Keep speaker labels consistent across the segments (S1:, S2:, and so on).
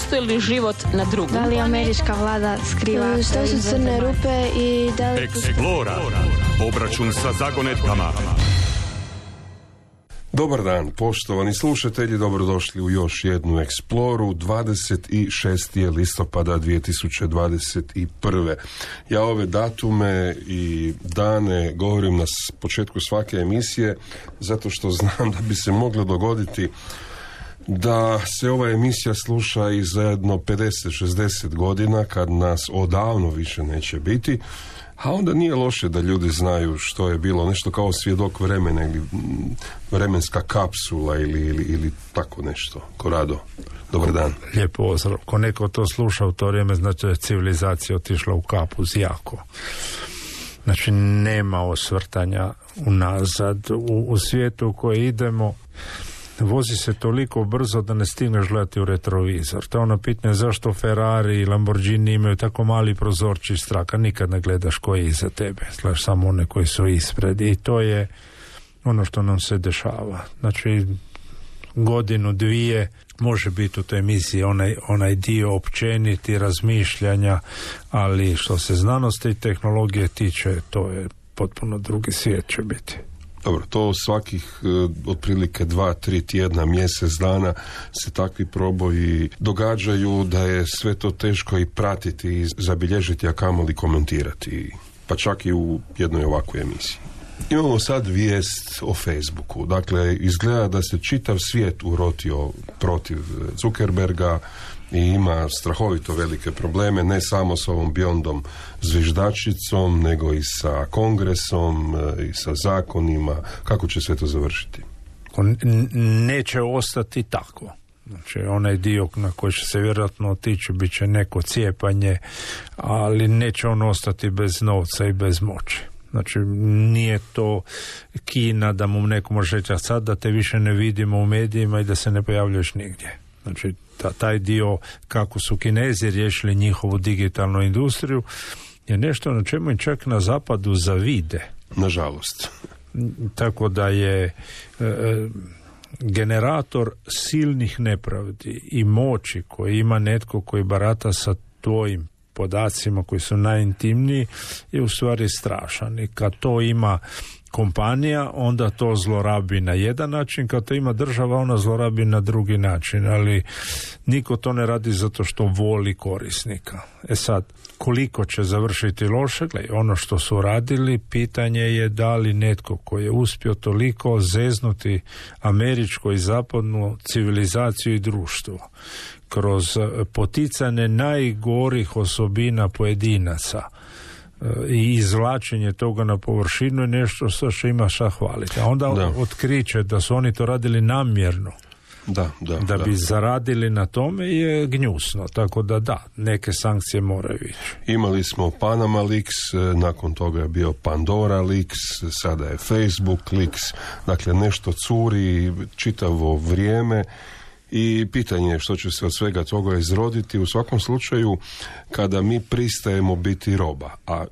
S1: postoji li život na drugom?
S2: Da li američka vlada skriva?
S3: Što su crne rupe i da li...
S4: Explora. Obračun sa zagonetkama.
S5: Dobar dan, poštovani slušatelji, dobrodošli u još jednu Exploru. 26. listopada 2021. Ja ove datume i dane govorim na početku svake emisije zato što znam da bi se moglo dogoditi da se ova emisija sluša i za jedno 50-60 godina kad nas odavno više neće biti. A onda nije loše da ljudi znaju što je bilo, nešto kao svjedok vremena ili vremenska kapsula ili tako nešto. Korado, dobar dan.
S6: Lijep pozdrav. Ko neko to sluša u to vrijeme, znači da je civilizacija otišla u kapuz jako. Znači nema osvrtanja unazad. U svijetu u koje idemo vozi se toliko brzo da ne stigneš gledati u retrovizor. To je ono pitanje zašto Ferrari i Lamborghini imaju tako mali prozorčić straka. Nikad ne gledaš koji je iza tebe. Gledaš samo one koji su ispred. I to je ono što nam se dešava. Znači, godinu, dvije može biti u toj emisiji onaj dio općeniti razmišljanja, ali što se znanosti i tehnologije tiče, to je potpuno drugi svijet će biti.
S5: Dobro, to svakih otprilike 2-3 tjedna, mjesec dana se takvi proboji događaju da je sve to teško i pratiti i zabilježiti, a kamoli komentirati, pa čak i u jednoj ovakvoj emisiji. Imamo sad vijest o Facebooku. Dakle, izgleda da se čitav svijet urotio protiv Zuckerberga i ima strahovito velike probleme, ne samo s ovom Beyondom zviždačicom, nego i sa kongresom i sa zakonima. Kako će sve to završiti?
S6: Neće ostati tako. Znači, onaj dio na koji će se vjerojatno otići bit će neko cijepanje, ali neće on ostati bez novca i bez moći. Znači, nije to Kina da mu neko može reći, a sad da te više ne vidimo u medijima i da se ne pojavljuješ nigdje. Znači, taj dio kako su Kinezi riješili njihovu digitalnu industriju je nešto na čemu im čak na zapadu zavide.
S5: Nažalost.
S6: Tako da je generator silnih nepravdi i moći koji ima netko koji barata sa tvojim podacima koji su najintimniji je u stvari strašan. I kad to ima kompanija, onda to zlorabi na jedan način, kad to ima država, ona zlorabi na drugi način, ali niko to ne radi zato što voli korisnika. E sad, koliko će završiti loše, ono što su radili, pitanje je da li netko koji je uspio toliko zeznuti američku i zapadnu civilizaciju i društvo kroz poticanje najgorih osobina pojedinaca i izvlačenje toga na površinu je nešto što ima šta hvaliti. A onda otkriće da su oni to radili namjerno da bi zaradili na tome je gnjusno. Tako da, neke sankcije moraju ići. Imali
S5: smo Panama Leaks, nakon toga je bio Pandora Leaks, sada je Facebook Leaks, dakle nešto curi čitavo vrijeme. I pitanje je što će se od svega toga izroditi. U svakom slučaju, kada mi pristajemo biti roba, a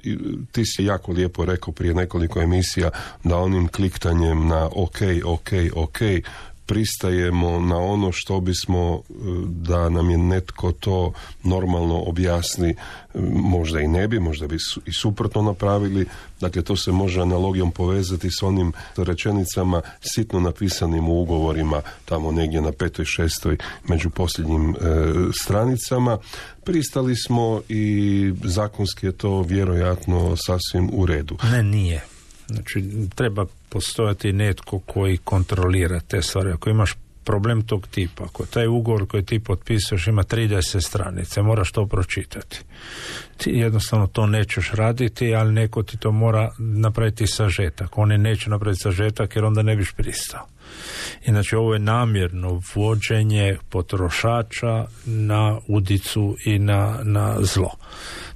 S5: ti si jako lijepo rekao prije nekoliko emisija da onim kliktanjem na ok, pristajemo na ono što bismo, da nam je netko to normalno objasni, možda i ne bi, možda bi i suprotno napravili. Dakle, to se može analogijom povezati s onim rečenicama sitno napisanim u ugovorima, tamo negdje na 5. 6. među posljednjim stranicama. Pristali smo i zakonski je to vjerojatno sasvim u redu.
S6: Ne, nije. Znači, treba postojati netko koji kontrolira te stvari. Ako imaš problem tog tipa, ako taj ugovor koji ti potpisuješ ima 30 stranice, moraš to pročitati. Ti jednostavno to nećeš raditi, ali neko ti to mora napraviti sažetak. Oni neće napraviti sažetak jer onda ne biš pristao. Inače, ovo je namjerno vođenje potrošača na udicu i na zlo.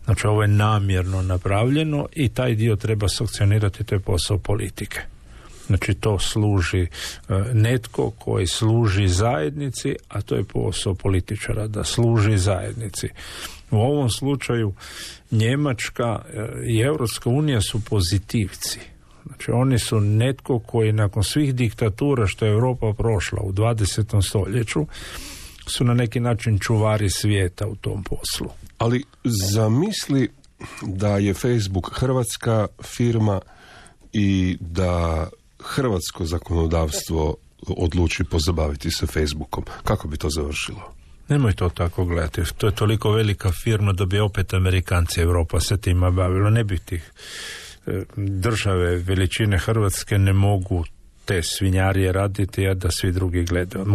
S6: Znači, ovo je namjerno napravljeno i taj dio treba sankcionirati, to je posao politike. Znači, to služi netko koji služi zajednici, a to je posao političara, da služi zajednici. U ovom slučaju Njemačka i Europska unija su pozitivci. Znači, oni su netko koji nakon svih diktatura što je Europa prošla u 20. stoljeću su na neki način čuvari svijeta u tom poslu.
S5: Ali zamisli da je Facebook hrvatska firma i da hrvatsko zakonodavstvo odluči pozabaviti se Facebookom. Kako bi to završilo?
S6: Nemoj to tako gledati. To je toliko velika firma da bi opet Amerikanci, Europa se tima bavilo. Ne bi tih države veličine Hrvatske ne mogu te svinjarije raditi, a da svi drugi gledaju.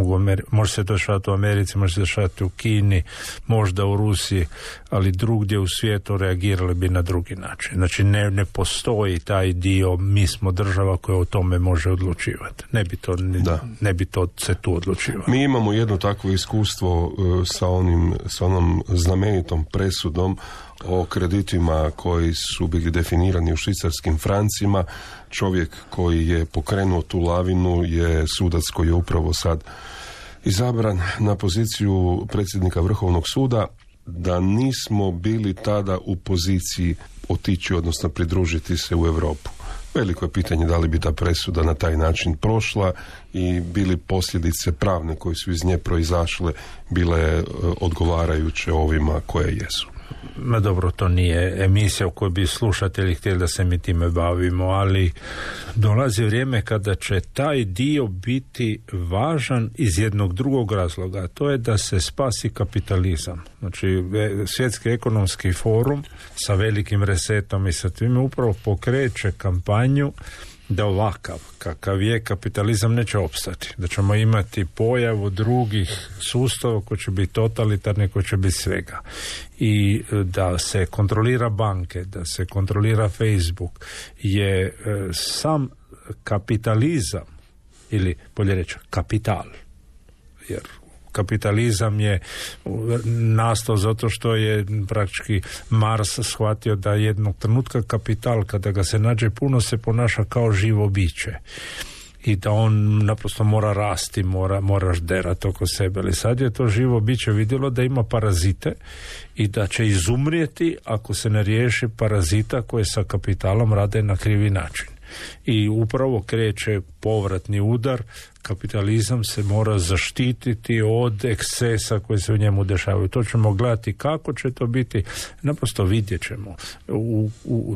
S6: Može se dešavati u Americi, može se dešavati u Kini, možda u Rusiji, ali drugdje u svijetu reagirali bi na drugi način. Znači ne postoji taj dio, mi smo država koja o tome može odlučivati. Ne bi to se tu odlučivalo.
S5: Mi imamo jedno takvo iskustvo sa onom znamenitom presudom o kreditima koji su bili definirani u švicarskim francima. Čovjek koji je pokrenuo tu lavinu je sudac koji je upravo sad izabran na poziciju predsjednika Vrhovnog suda. Da nismo bili tada u poziciji otići, odnosno pridružiti se u Europu. Veliko je pitanje da li bi ta presuda na taj način prošla i bili posljedice pravne koje su iz nje proizašle bile odgovarajuće ovima koje jesu.
S6: Ma dobro, to nije emisija u kojoj bi slušatelji htjeli da se mi time bavimo, ali dolazi vrijeme kada će taj dio biti važan iz jednog drugog razloga, a to je da se spasi kapitalizam. Znači, Svjetski ekonomski forum sa velikim resetom i sa time upravo pokreće kampanju da ovakav kakav je kapitalizam neće opstati, da ćemo imati pojavu drugih sustava koji će biti totalitarni, koji će biti svega, i da se kontrolira banke, da se kontrolira Facebook je sam kapitalizam, ili bolje reći kapital, jer kapitalizam je nastao zato što je praktički Mars shvatio da jednog trenutka kapital, kada ga se nađe puno, se ponaša kao živo biće i da on naprosto mora rasti, moraš derati oko sebe. Ali sad je to živo biće vidjelo da ima parazite i da će izumrijeti ako se ne riješi parazita koje sa kapitalom rade na krivi način. I upravo kreće povratni udar, kapitalizam se mora zaštititi od ekscesa koji se u njemu dešavaju. To ćemo gledati kako će to biti, naprosto vidjet ćemo.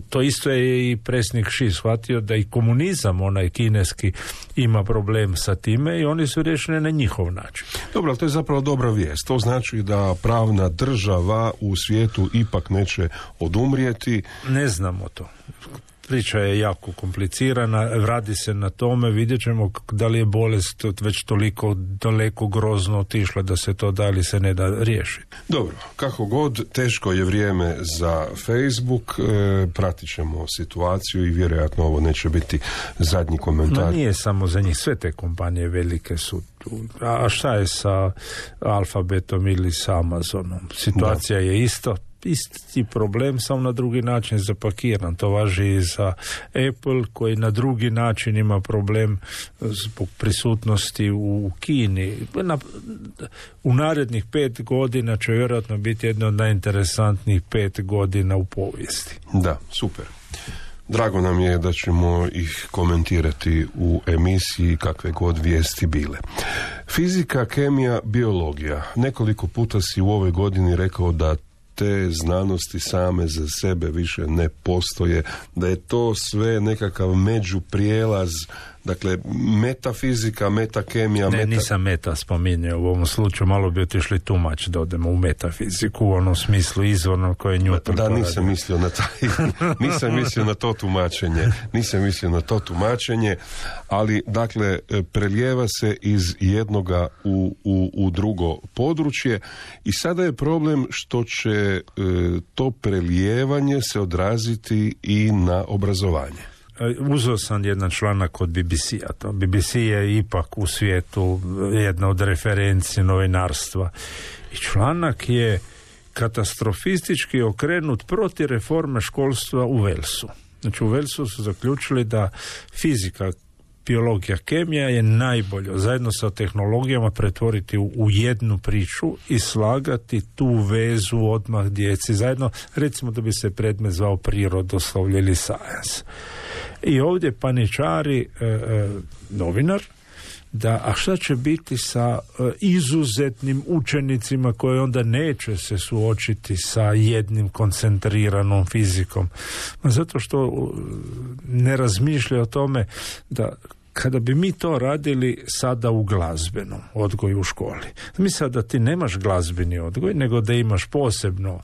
S6: To isto je i predsjednik Xi shvatio da i komunizam, onaj kineski, ima problem sa time i oni su riješeni na njihov način.
S5: Dobro, ali to je zapravo dobra vijest. To znači da pravna država u svijetu ipak neće odumrijeti.
S6: Ne znamo to. Priča je jako komplicirana, radi se na tome, vidjet ćemo da li je bolest već toliko daleko grozno otišla da se to da li se ne da riješiti.
S5: Dobro, kako god, teško je vrijeme za Facebook, pratit ćemo situaciju i vjerojatno ovo neće biti zadnji komentar.
S6: No nije samo za njih, sve te kompanije velike su tu. A šta je sa Alphabetom ili sa Amazonom? Situacija je isti problem, samo na drugi način zapakiran. To važi i za Apple, koji na drugi način ima problem zbog prisutnosti u Kini. U narednih 5 godina će vjerojatno biti jedno od najinteresantnijih 5 godina u povijesti.
S5: Da, super. Drago nam je da ćemo ih komentirati u emisiji kakve god vijesti bile. Fizika, kemija, biologija. Nekoliko puta si u ovoj godini rekao da te znanosti same za sebe više ne postoje, da je to sve nekakav međuprijelaz, dakle metafizika, metakemija.
S6: Nisam meta spominjao u ovom slučaju, malo bi otišli tumač da odemo u metafiziku u onom smislu izvorno koje je Newton.
S5: Da, nisam mislio na to tumačenje, ali dakle prelijeva se iz jednoga u drugo područje i sada je problem što će to prelijevanje se odraziti i na obrazovanje.
S6: Uzeo sam jedan članak od BBC-a. BBC je ipak u svijetu jedna od referenci novinarstva. I članak je katastrofistički okrenut protiv reforme školstva u Walesu. Znači u Walesu su zaključili da fizika, biologija, kemija je najbolje zajedno sa tehnologijama pretvoriti u jednu priču i slagati tu vezu odmah djeci zajedno, recimo da bi se predmet zvao prirodoslovlje ili science. I ovdje paničari novinar a šta će biti sa izuzetnim učenicima koji onda neće se suočiti sa jednim koncentriranom fizikom? Zato što ne razmišlja o tome da kada bi mi to radili sada u glazbenom odgoju u školi, misle da ti nemaš glazbeni odgoj, nego da imaš posebno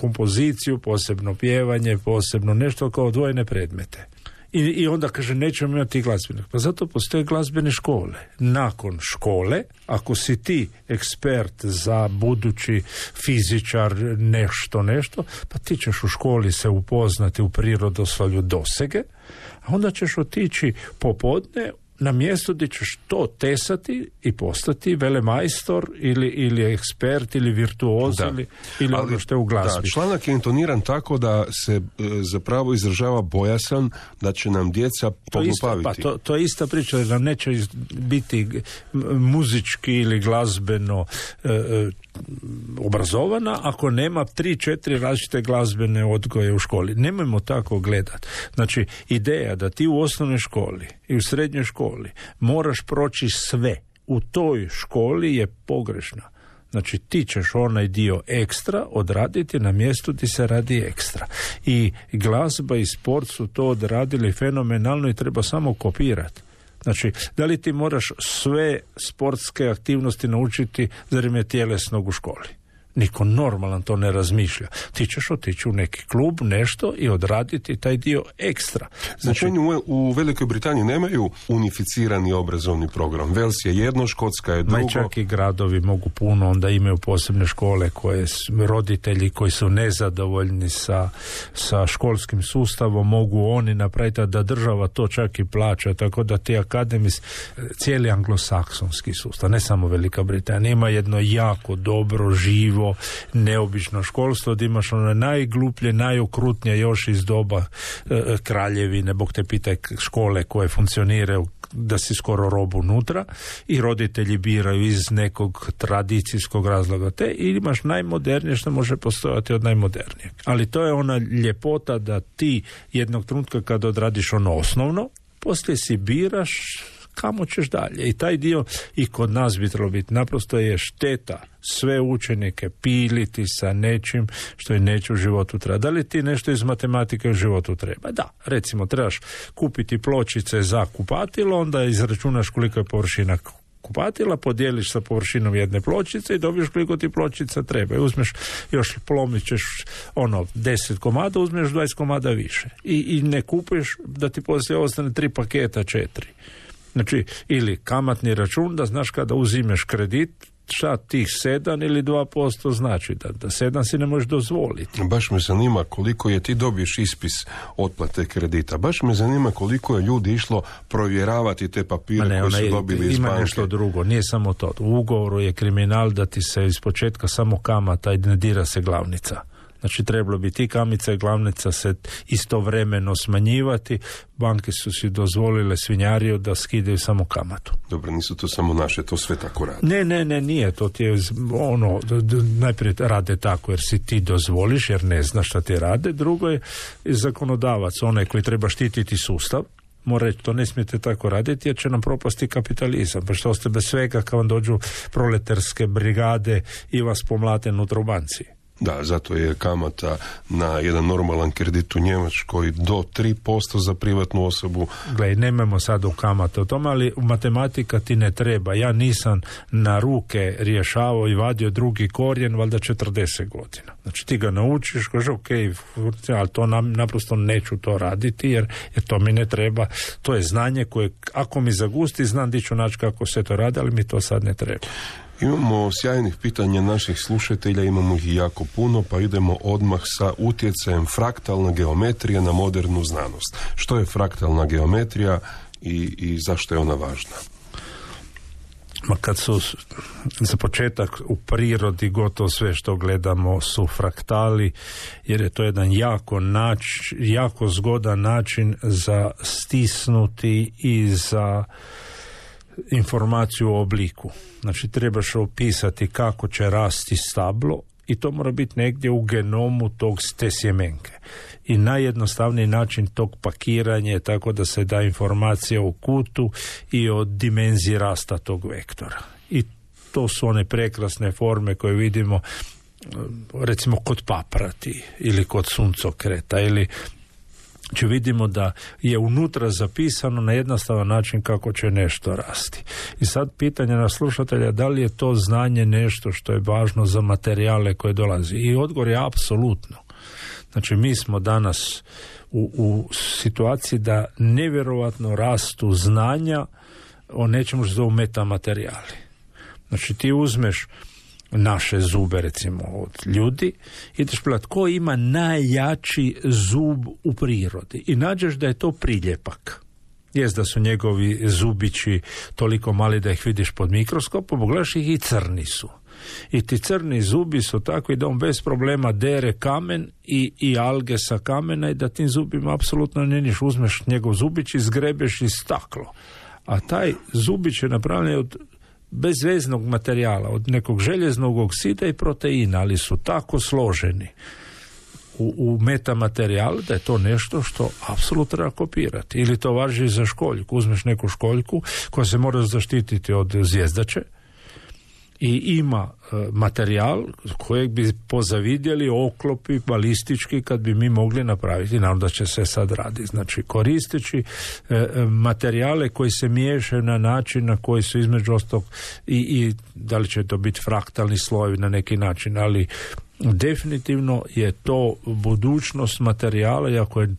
S6: kompoziciju, posebno pjevanje, posebno nešto kao odvojene predmete. I onda kaže nećemo imati glazbenih. Pa zato postoje glazbene škole. Nakon škole, ako si ti ekspert za budući fizičar nešto, pa ti ćeš u školi se upoznati u prirodoslovlju dosege, a onda ćeš otići popodne na mjesto gdje ćeš to tesati i postati velemajstor ili ekspert ili virtuoz ili ono što je u glazbi.
S5: Da, članak je intoniran tako da se zapravo izražava bojasan da će nam djeca poglupaviti.
S6: To je ista priča, da nam neće biti muzički ili glazbeno obrazovana ako nema 3-4 različite glazbene odgoje u školi. Nemojmo tako gledati. Znači, ideja da ti u osnovnoj školi i u srednjoj školi moraš proći sve u toj školi je pogrešna. Znači, ti ćeš onaj dio ekstra odraditi na mjestu gdje se radi ekstra. I glazba i sport su to odradili fenomenalno i treba samo kopirati. Znači, da li ti moraš sve sportske aktivnosti naučiti za vrijeme tjelesnog u školi? Niko normalan to ne razmišlja. Ti ćeš otići u neki klub, nešto i odraditi taj dio ekstra.
S5: Znači, u Velikoj Britaniji nemaju unificirani obrazovni program. Wales je jedno, Škotska je drugo.
S6: Čak i gradovi mogu puno, onda imaju posebne škole koje roditelji koji su nezadovoljni sa školskim sustavom mogu oni napraviti, da država to čak i plaća, tako da ti cijeli anglosaksonski sustav, ne samo Velika Britanija, ima jedno jako dobro, živo, neobično školstvo, da imaš ono najgluplje, najokrutnije još iz doba kraljevine, bog te pitaj, škole koje funkcioniraju da si skoro rob unutra i roditelji biraju iz nekog tradicijskog razloga i imaš najmodernije što može postojati od najmodernijeg. Ali to je ona ljepota da ti jednog trenutka kad odradiš ono osnovno, poslije si biraš kamo ćeš dalje. I taj dio i kod nas bi trebalo biti. Naprosto je šteta sve učenike piliti sa nečim što je neće u životu treba. Da li ti nešto iz matematike u životu treba? Da, recimo trebaš kupiti pločice za kupatilo, onda izračunaš koliko je površina kupatila, podijeliš sa površinom jedne pločice i dobiješ koliko ti pločica treba. I uzmeš, još plomit ćeš 10 komada, uzmeš 20 komada više. I ne kupuješ da ti poslije ostane 3 paketa, 4. Znači, ili kamatni račun, da znaš kada uzimeš kredit, šta tih 7 ili 2% znači, da 7 si ne možeš dozvoliti.
S5: Baš me zanima koliko je, ti dobiješ ispis otplate kredita, baš me zanima koliko je ljudi išlo provjeravati te papire koje su dobili iz banke. Ima
S6: nešto drugo, nije samo to. U ugovoru je kriminal da ti se iz početka samo kamata i ne dira se glavnica. Znači, trebalo bi ti kamica i glavnica se istovremeno smanjivati. Banke su si dozvolile svinjariju da skidaju samo kamatu.
S5: Dobro, nisu to samo naše, to sve tako radi.
S6: Ne, nije. To ti je najprije rade tako jer si ti dozvoliš, jer ne znaš šta ti rade. Drugo je zakonodavac, onaj koji treba štititi sustav. Mora reći, to ne smijete tako raditi jer će nam propasti kapitalizam. Pa što oste bez svega kad vam dođu proletarske brigade i vas pomlate unutra u banci.
S5: Da, zato je kamata na jedan normalan kredit u Njemačkoj do 3% za privatnu osobu.
S6: Gle, nemamo sad u kamate o tome, ali u matematika ti ne treba. Ja nisam na ruke rješavao i vadio drugi korijen, valjda 40 godina. Znači ti ga naučiš, kaže ok, ali to naprosto neću to raditi jer to mi ne treba. To je znanje koje, ako mi zagusti, znam di ću naći kako se to radi, ali mi to sad ne treba.
S5: Imamo sjajnih pitanja naših slušatelja, imamo ih jako puno, pa idemo odmah sa utjecajem fraktalna geometrija na modernu znanost. Što je fraktalna geometrija i zašto je ona važna?
S6: Kad su za početak u prirodi gotovo sve što gledamo su fraktali, jer je to jedan jako zgodan način za stisnuti i za informaciju o obliku. Znači, trebaš opisati kako će rasti stablo I to mora biti negdje u genomu te sjemenke. I najjednostavniji način tog pakiranja je tako da se da informacija o kutu i o dimenziji rasta tog vektora. I to su one prekrasne forme koje vidimo recimo kod paprati ili kod suncokreta ili vidimo da je unutra zapisano na jednostavan način kako će nešto rasti. I sad pitanje na slušatelja, da li je to znanje nešto što je važno za materijale koje dolazi? I odgovor je apsolutno. Znači, mi smo danas u situaciji da nevjerovatno rastu znanja o nečemu što zovu metamaterijali. Znači, ti uzmeš naše zube, recimo, od ljudi, ideš pogledati ko ima najjači zub u prirodi i nađeš da je to priljepak. Jest da su njegovi zubići toliko mali da ih vidiš pod mikroskopom, pogledaš ih i crni su. I ti crni zubi su takvi da on bez problema dere kamen i alge sa kamena i da tim zubima apsolutno ne niš. Uzmeš njegov zubić i zgrebeš i staklo. A taj zubić je napravljen od bezveznog materijala, od nekog željeznog oksida i proteina, ali su tako složeni u metamaterijalu da je to nešto što apsolutno treba kopirati. Ili to važi za školjku. Uzmeš neku školjku koja se mora zaštititi od zvjezdače i ima materijal kojeg bi pozavidjeli oklopi balistički kad bi mi mogli napraviti, naravno da će se sad raditi. Znači, koristeći materijale koji se miješaju na način na koji su između ostalog i da li će to biti fraktalni slojevi na neki način, ali definitivno je to budućnost materijala i ako je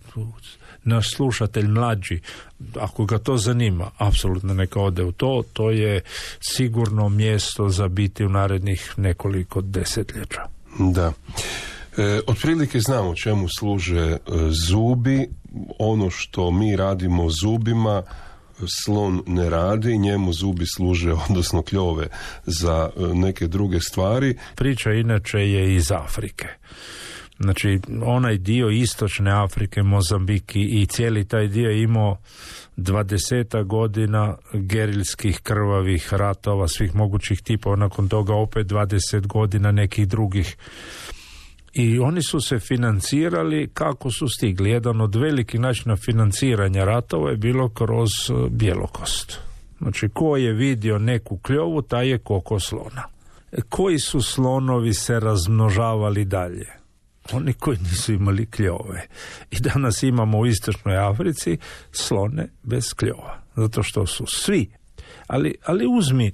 S6: naš slušatelj mlađi, ako ga to zanima, apsolutno neka ode u to, to je sigurno mjesto za biti u narednih nekoliko desetljeća.
S5: Da. Otprilike znamo čemu služe zubi, ono što mi radimo zubima, slon ne radi, njemu zubi služe, odnosno kljove, za neke druge stvari.
S6: Priča inače je iz Afrike. Znači, onaj dio istočne Afrike, Mozambiki i cijeli taj dio je imao 20 godina gerilskih krvavih ratova svih mogućih tipova, nakon toga opet 20 godina nekih drugih. I oni su se financirali kako su stigli. Jedan od velikih načina financiranja ratova je bilo kroz bjelokost. Znači, ko je vidio neku kljovu, taj je koko slona. Koji su slonovi se razmnožavali dalje? Oni koji nisu imali kljove. I danas imamo u istočnoj Africi slone bez kljova. Zato što su svi. Ali uzmi,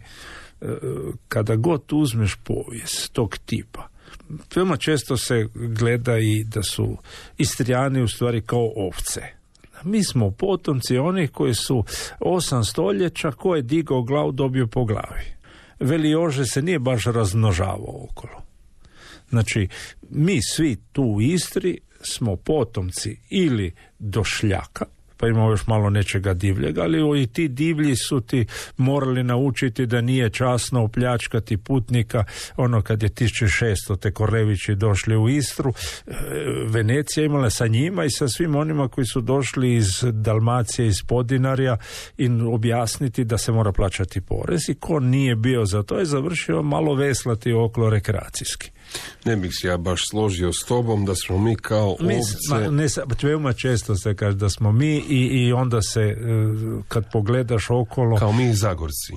S6: kada god uzmeš povijest tog tipa, veoma često se gleda i da su Istrijani u stvari kao ovce. Mi smo potomci onih koji su 8 stoljeća, ko je digao glavu dobio po glavi. Veli Jože se nije baš razmnožavao okolo. Znači, mi svi tu u Istri smo potomci ili došljaka, pa imamo još malo nečega divljega, ali i ti divlji su ti morali naučiti da nije časno opljačkati putnika. Ono kad je 1600 te Korlevići došli u Istru, Venecija imala sa njima i sa svim onima koji su došli iz Dalmacije, iz Podinarja, i objasniti da se mora plaćati porez, i ko nije bio za to je završio malo veslati okolo rekreacijski.
S5: Ne bih se ja baš složio s tobom da smo mi kao ovce.
S6: Veoma često se kaže da smo mi i onda se, kad pogledaš okolo...
S5: Kao mi Zagorci.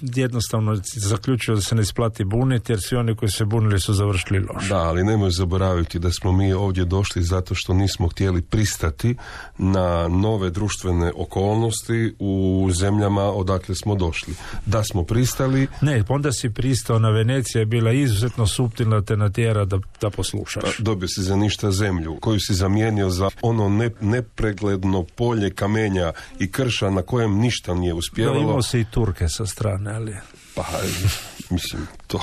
S6: Jednostavno zaključio da se ne isplati buniti, jer svi oni koji se bunili su završili loše.
S5: Da, ali nemoj zaboraviti da smo mi ovdje došli zato što nismo htjeli pristati na nove društvene okolnosti u zemljama odakle smo došli. Da smo pristali... Ne,
S6: onda si pristao na Venecija, je bila izuzetno suptilna, te natjera da poslušaš.
S5: Dobio si za ništa zemlju, koju si zamijenio za ono nepregledno polje kamenja i krša na kojem ništa nije uspjevalo.
S6: Da, imao si i Turke sa strane, ali...
S5: Pa, mislim, to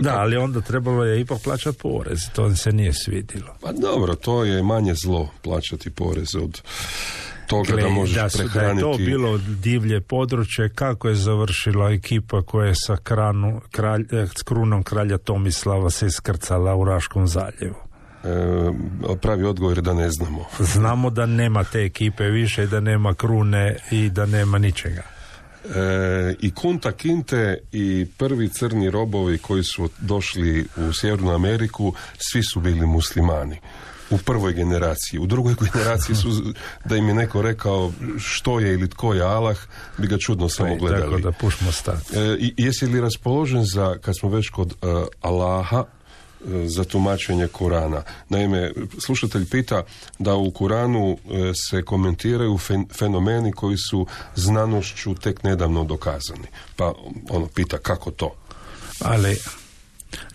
S6: Da, ali onda trebalo je ipak plaćati porez, to se nije svidilo.
S5: Pa dobro, to je manje zlo, plaćati porez od toga da možeš prehraniti. Da je
S6: to bilo divlje područje, kako je završila ekipa koja je sa s krunom kralja Tomislava se iskrcala u Raškom zaljevu?
S5: Pravi odgovor je da ne znamo.
S6: Znamo da nema te ekipe više, da nema krune i da nema ničega.
S5: I Kunta Kinte i prvi crni robovi koji su došli u Sjevernu Ameriku, svi su bili muslimani. U prvoj generaciji. U drugoj generaciji su, da im je neko rekao što je ili tko je Allah, bi ga čudno samo gledali.
S6: Tako da pušmo stati.
S5: Jesi li raspoložen za, kad smo već kod Allaha, za tumačenje Kurana? Naime, slušatelj pita da u Kuranu se komentiraju fenomeni koji su znanošću tek nedavno dokazani. Pa pita kako to?
S6: Ali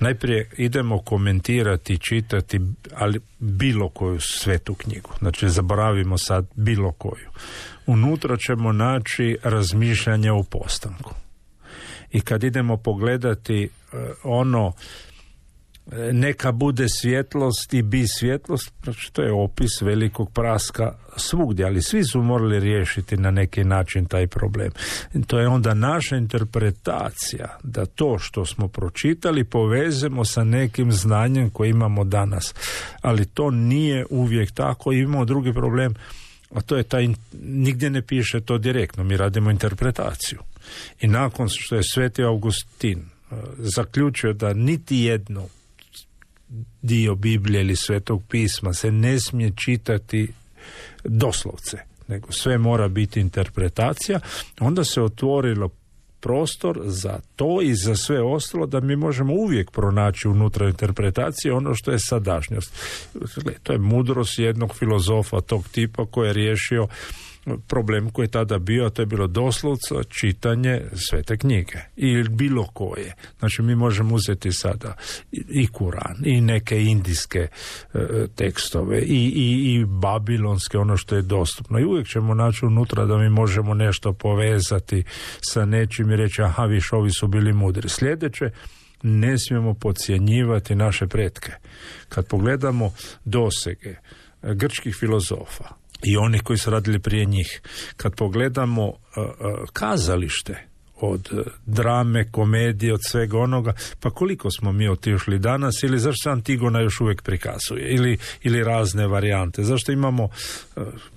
S6: najprije idemo komentirati, čitati, ali bilo koju svetu knjigu. Znači, zaboravimo sad bilo koju. Unutra ćemo naći razmišljanje o postanku. I kad idemo pogledati neka bude svjetlost i bi svjetlost, znači to je opis velikog praska svugdje, ali svi su morali riješiti na neki način taj problem. I to je onda naša interpretacija da to što smo pročitali povezemo sa nekim znanjem koje imamo danas. Ali to nije uvijek tako. Imamo drugi problem, a to je taj, nigdje ne piše to direktno, mi radimo interpretaciju. I nakon što je Sveti Augustin zaključio da niti jedno dio Biblije ili Svetog pisma se ne smije čitati doslovce, nego sve mora biti interpretacija, onda se otvorilo prostor za to i za sve ostalo da mi možemo uvijek pronaći unutra interpretacije ono što je sadašnjost. To je mudrost jednog filozofa tog tipa koji je riješio problem koji je tada bio, a to je bilo doslovce čitanje Svete knjige ili bilo koje. Znači mi možemo uzeti sada i Kuran i neke indijske tekstove i babilonske, ono što je dostupno, i uvijek ćemo naći unutra da mi možemo nešto povezati sa nečim i reći aha, viš, ovi su bili mudri. Sljedeće, ne smijemo podcjenjivati naše pretke. Kad pogledamo dosege grčkih filozofa i onih koji su radili prije njih, kad pogledamo kazalište, od drame, komedije, od svega onoga, pa koliko smo mi otišli danas, ili zašto se Antigona još uvijek prikazuje, ili razne varijante, zašto imamo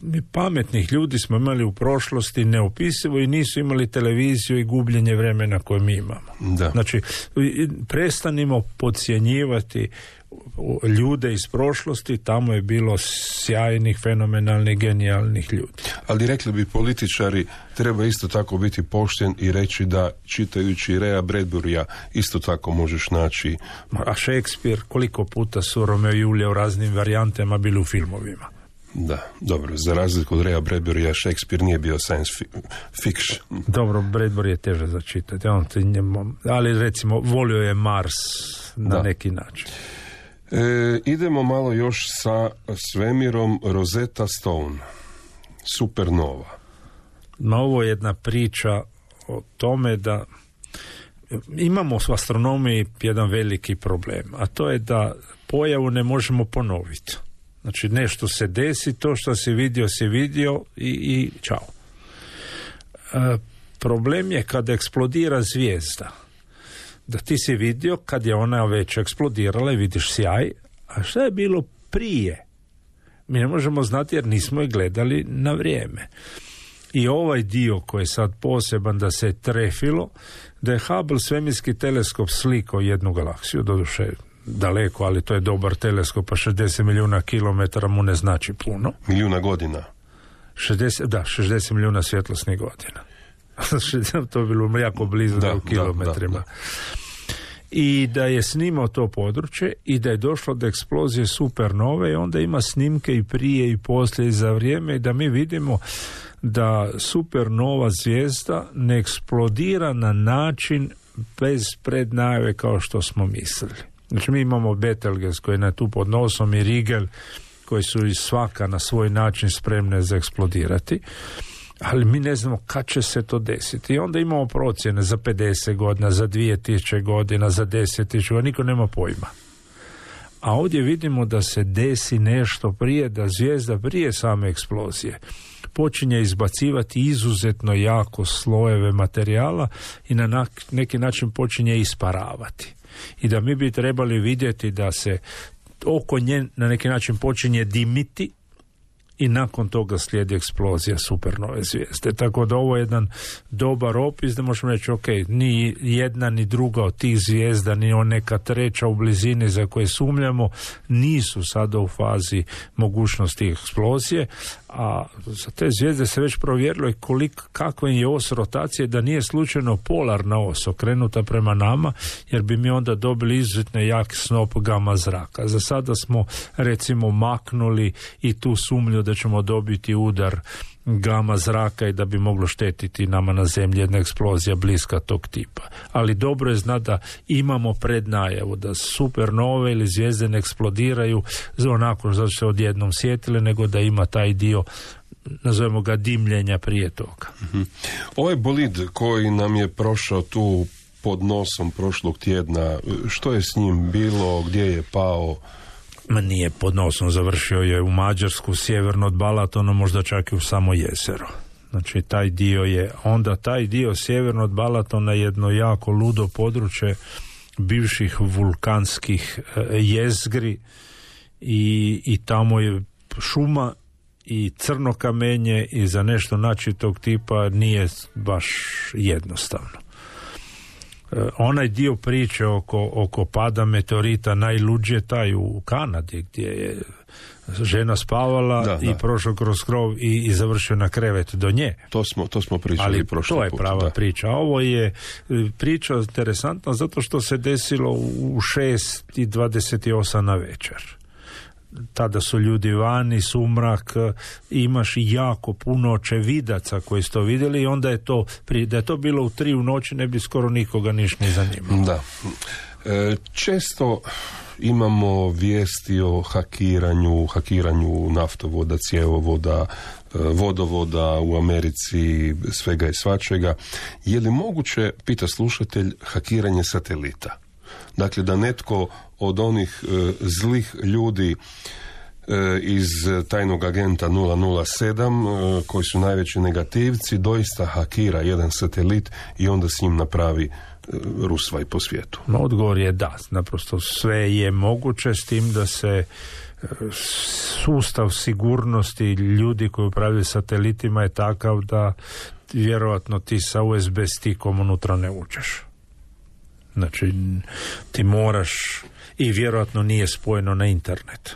S6: mi pametnih ljudi smo imali u prošlosti neopisivo i nisu imali televiziju i gubljenje vremena koje mi imamo.
S5: Da.
S6: Znači, prestanimo podcjenjivati ljude iz prošlosti, tamo je bilo sjajnih, fenomenalnih, genijalnih ljudi.
S5: Ali rekli bi političari, treba isto tako biti pošten i reći da čitajući Raya Bradburya isto tako možeš naći.
S6: A Shakespeare, koliko puta su Romeo i Julija u raznim varijantama bili u filmovima?
S5: Da, dobro, za razliku od Raya Bradburya, Shakespeare nije bio science fiction.
S6: Dobro, Bradbury je teže za čitati, ali recimo volio je Mars na neki način.
S5: Idemo malo još sa svemirom. Rosetta Stone, supernova.
S6: Ovo je jedna priča o tome da imamo u astronomiji jedan veliki problem, a to je da pojavu ne možemo ponoviti. Znači nešto se desi, to što si vidio i čao. Problem je kada eksplodira zvijezda, da ti si vidio kad je ona već eksplodirala i vidiš sjaj, a šta je bilo prije? Mi ne možemo znati jer nismo je gledali na vrijeme. I ovaj dio koji je sad poseban da se trefilo, da je Hubble svemirski teleskop slikao jednu galaksiju, doduše daleko, ali to je dobar teleskop, pa 60 milijuna kilometara mu ne znači puno.
S5: Milijuna godina.
S6: 60 milijuna svjetlosnih godina. To je bilo jako blizu u kilometrima. Da. I da je snimao to područje i da je došlo do eksplozije supernove i onda ima snimke i prije i poslije i za vrijeme i da mi vidimo da supernova zvijezda ne eksplodira na način bez prednajave kao što smo mislili. Znači mi imamo Betelgeuse koji je tu pod nosom i Rigel koji su i svaka na svoj način spremne za eksplodirati, ali mi ne znamo kad će se to desiti. I onda imamo procjene za 50 godina, za 2000 godina, za 10.000 godina, niko nema pojma. A ovdje vidimo da se desi nešto prije, da zvijezda prije same eksplozije počinje izbacivati izuzetno jako slojeve materijala i na neki način počinje isparavati. I da mi bi trebali vidjeti da se oko nje na neki način počinje dimiti i nakon toga slijedi eksplozija supernove zvijezde. Tako da ovo je jedan dobar opis da možemo reći, ok, ni jedna ni druga od tih zvijezda, ni neka treća u blizini za koje sumnjamo, nisu sada u fazi mogućnosti eksplozije, a za te zvijezde se već provjerilo i kakva je os rotacije, da nije slučajno polarna os okrenuta prema nama, jer bi mi onda dobili izuzetno jak snop gama zraka. Za sada smo recimo maknuli i tu sumnju da ćemo dobiti udar gama zraka i da bi moglo štetiti nama na zemlji jedna eksplozija bliska tog tipa. Ali dobro je znati da imamo prednajavu da supernove ili zvijezde ne eksplodiraju onako zato se odjednom sjetile, nego da ima taj dio, nazovemo ga, dimljenja prije toga.
S5: Ovaj bolid koji nam je prošao tu pod nosom prošlog tjedna, što je s njim bilo, gdje je pao?
S6: Nije pod nosom, završio je u Mađarsku, sjeverno od Balatona, možda čak i u samo jezero. Znači taj dio sjeverno od Balatona je jedno jako ludo područje bivših vulkanskih jezgri i tamo je šuma i crno kamenje i za nešto naći tog tipa nije baš jednostavno. Onaj dio priče oko pada meteorita najluđe taj u Kanadi gdje je žena spavala i prošao kroz krov i završio na krevet do nje.
S5: To smo pričali prošli put. Ali to je
S6: prava priča. Ovo je priča interesantna zato što se desilo u 6:28 na večer. Tada su ljudi vani, sumrak, imaš jako puno očevidaca koji su to vidjeli i onda je to, da je to bilo u 3 u noći ne bi skoro nikoga niš ni zanimalo.
S5: Da. Često imamo vijesti o hakiranju naftovoda, cjevovoda, vodovoda u Americi, svega i svačega. Je li moguće, pita slušatelj, hakiranje satelita? Dakle, da netko od onih zlih ljudi iz tajnog agenta 007, koji su najveći negativci, doista hakira jedan satelit i onda s njim napravi rusvaj po svijetu.
S6: Odgovor je da, naprosto sve je moguće, s tim da se sustav sigurnosti ljudi koji upravljaju satelitima je takav da vjerojatno ti sa USB stikom unutra ne uđeš. Znači, ti moraš, i vjerojatno nije spojeno na internet.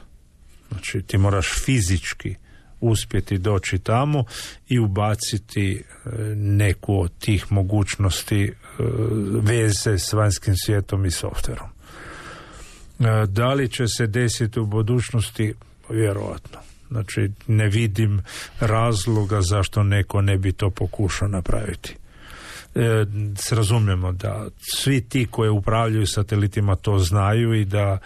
S6: Znači, ti moraš fizički uspjeti doći tamo i ubaciti neku od tih mogućnosti veze s vanjskim svijetom i softverom. Da li će se desiti u budućnosti? Vjerojatno. Znači, ne vidim razloga zašto neko ne bi to pokušao napraviti. Razumijemo da svi ti koji upravljaju satelitima to znaju i da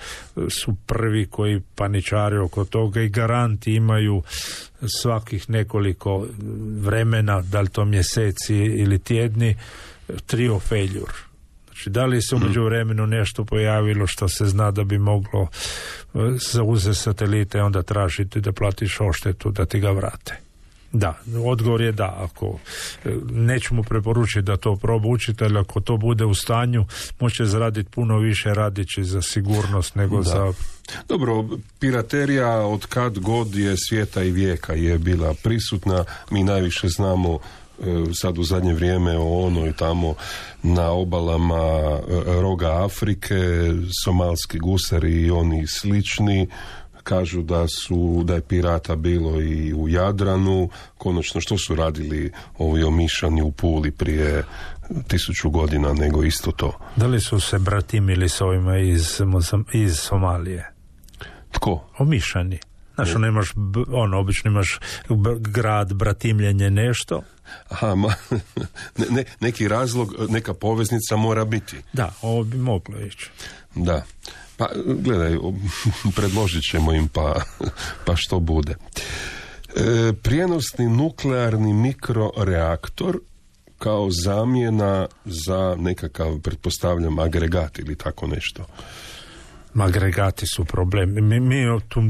S6: su prvi koji paničare oko toga i garanti imaju svakih nekoliko vremena, da li to mjeseci ili tjedni, trio failure. Znači, da li se u međuvremenu nešto pojavilo što se zna da bi moglo zauzeti satelite, onda tražiti da platiš odštetu da ti ga vrate. Da, odgovor je da. Ako nećemo preporučiti da to proba učitelj, ako to bude u stanju, može zaraditi puno više radići za sigurnost nego za...
S5: Dobro, piraterija od kad god je svijeta i vijeka je bila prisutna. Mi najviše znamo sad u zadnje vrijeme o onoj tamo na obalama roga Afrike, somalski gusari i oni slični. Kažu da je pirata bilo i u Jadranu. Konačno, što su radili ovi Omišani u Puli prije 1000 godina, nego isto to.
S6: Da li su se bratimili s ovima iz Somalije?
S5: Tko?
S6: Omišani. Znaš, nemaš, obično imaš grad, bratimljenje, nešto.
S5: Aha, neki razlog, neka poveznica mora biti.
S6: Da, ovo bi moglo ići.
S5: Da. Pa, gledaj, predložit ćemo im pa što bude. Prijenosni nuklearni mikroreaktor kao zamjena za nekakav, pretpostavljam, agregat ili tako nešto.
S6: Agregati su problem. Mi tu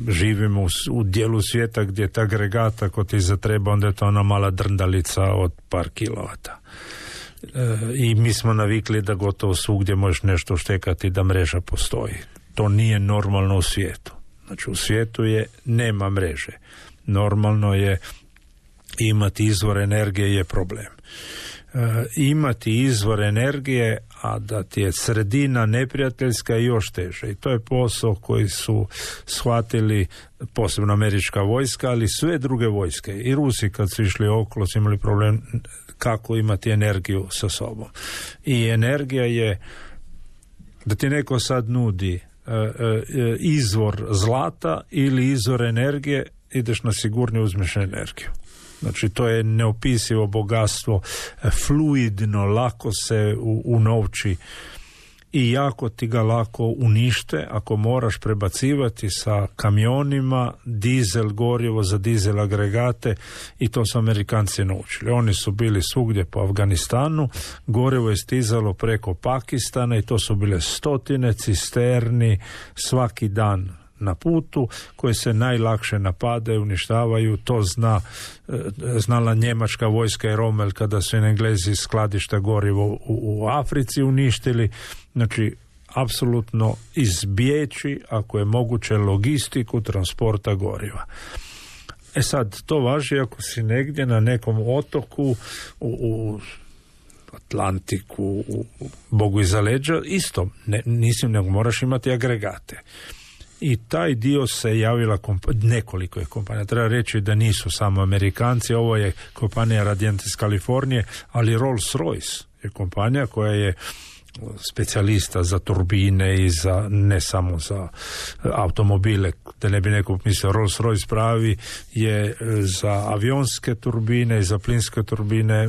S6: živimo u dijelu svijeta gdje ta agregat, ako ti zatreba, onda je to ona mala drndalica od par kilovata. I mi smo navikli da gotovo svugdje možeš nešto štekati, da mreža postoji. To nije normalno u svijetu. Znači, u svijetu nema mreže. normalno je imati izvor energije je problem. Imati izvor energije, a da ti je sredina neprijateljska je još teže. I to je posao koji su shvatili posebno američka vojska, ali sve druge vojske. I Rusi kad su išli okolo su imali problem kako imati energiju sa sobom. I energija je da ti neko sad nudi izvor zlata ili izvor energije, ideš na sigurnije, uzmeš energiju. Znači, to je neopisivo bogatstvo, fluidno, lako se unovči i jako ti ga lako unište ako moraš prebacivati sa kamionima dizel gorivo za dizel agregate, i to su Amerikanci naučili. Oni su bili svugdje po Afganistanu, gorivo je stizalo preko Pakistana i to su bile stotine cisterni svaki dan na putu, koje se najlakše napadaju, uništavaju. To znala njemačka vojska i Rommel kada su Englezi skladišta gorivo u Africi uništili. Znači, apsolutno izbjeći, ako je moguće, logistiku transporta goriva. Sad, to važi ako si negdje na nekom otoku u Atlantiku, u Bogu iza leđa, isto, nego moraš imati agregate. I taj dio se javila nekoliko je kompanija. Treba reći da nisu samo Amerikanci, ovo je kompanija Radiant iz Kalifornije, ali Rolls-Royce je kompanija koja je specijalista za turbine i za, ne samo za automobile, da ne bi neko mislio, Rolls-Royce pravi je za avionske turbine i za plinske turbine